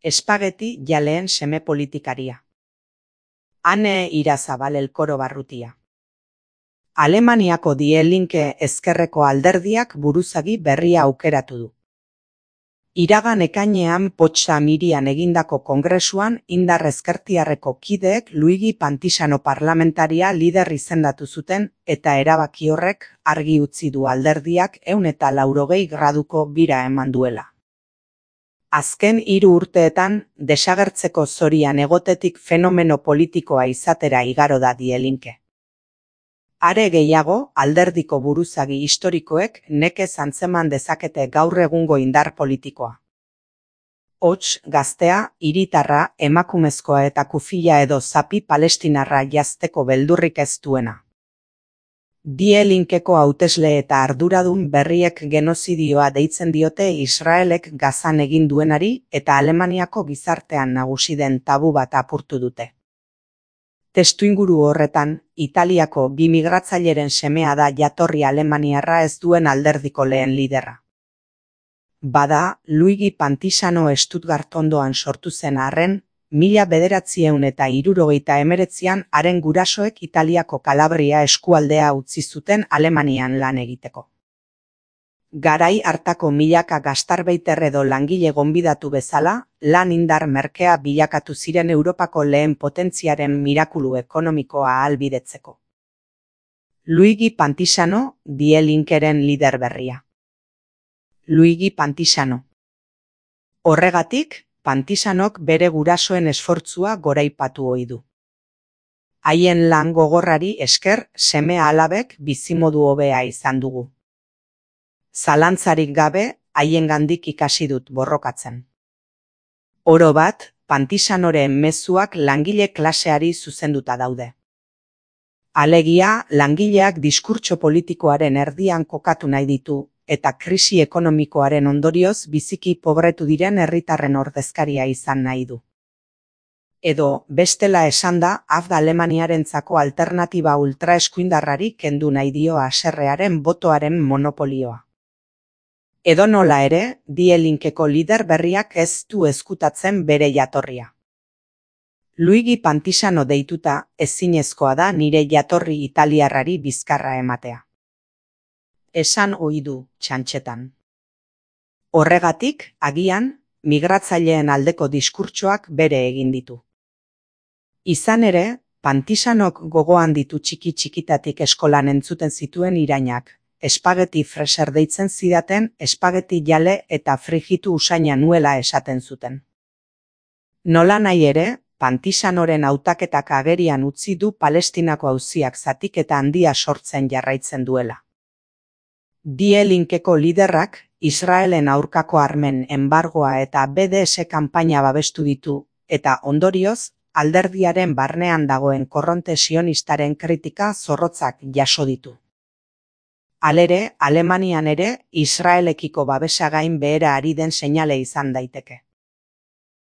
Espageti jaleen seme politikaria. Ane Irazabal Elkoro Barrutia. Alemaniako Die Linke ezkerreko alderdiak buruzagi berria aukeratu du. Iragan ekainean Potsamirian egindako kongresuan indar ezkertiarreko kideek Luigi Pantisano parlamentaria lider izendatu zuten eta erabaki horrek argi utzi du alderdiak 180 graduko bira eman duela. Azken 3 urteetan desagertzeko zorian egotetik fenomeno politikoa izatera igaro da Die Linke. Are gehiago, alderdiko buruzagi historikoek nekez antzeman dezakete gaur egungo indar politikoa. Hots, gaztea, hiritarra, emakumezkoa eta kufila edo zapi palestinarra jazteko beldurrik ez duena. Die Linkeko hautesle eta arduradun berriek genozidioa deitzen diote Israelek Gazan egin duenari eta Alemaniako gizartean nagusi den tabu bat apurtu dute. Testuinguru horretan, Italiako 2 migratzaileren semea da jatorri alemaniarra ez duen alderdiko lehen liderra. Bada, Luigi Pantisano Stuttgart ondoan sortu zen arren, 1979an haren gurasoek Italiako Kalabria eskualdea utzi zuten Alemanian lan egiteko. Garai hartako milaka gastarbeiter edo langile gonbidatu bezala, lan indar merkea bilakatu ziren Europako lehen potentziaren mirakulu ekonomikoa ahalbidetzeko. Luigi Pantisano, Die Linkeren lider berria. Luigi Pantisano. Horregatik, Pantisanok bere gurasoen esfortzua goraipatu ohi du. Haien lan gogorrari esker seme-alabek bizimodu hobea izan dugu. Zalantzarik gabe, haiengandik ikasi dut borrokatzen. Oro bat, Pantisanoren mezuak langile klaseari zuzenduta daude. Alegia, langileak diskurtso politikoaren erdian kokatu nahi ditu, eta krisi ekonomikoaren ondorioz biziki pobretu diren herritarren ordezkaria izan nahi du. Edo, bestela esanda, Afda Alemaniarentzako alternatiba ultraeskuindarrari kendu nahi dio haserrearen botoaren monopolioa. Edonola ere, Die Linkeko lider berriak ez du ezkutatzen bere jatorria. Luigi Pantisano deituta ezinezkoa da nire jatorri italiarrari bizkarra ematea. Esan ohi du txantxetan. Horregatik, agian, migratzaileen aldeko diskurtsoak bere egin ditu. Izan ere, Pantisanok gogoan ditu txiki-txikitatik eskolan entzuten zituen irainak, espageti freser deitzen zidaten, espageti jale eta frijitu usaina nuela esaten zuten. Nola nahi ere, Pantisanoren hautaketak agerian utzi du Palestinako auziak zatiketa handia sortzen jarraitzen duela. Die Linkeko liderrak Israelen aurkako armen enbargoa eta BDS kanpaina babestu ditu, eta ondorioz, alderdiaren barnean dagoen korronte sionistaren kritika zorrotzak jaso ditu. Halere, Alemanian ere, Israelekiko babesa gain behera ari den seinale izan daiteke.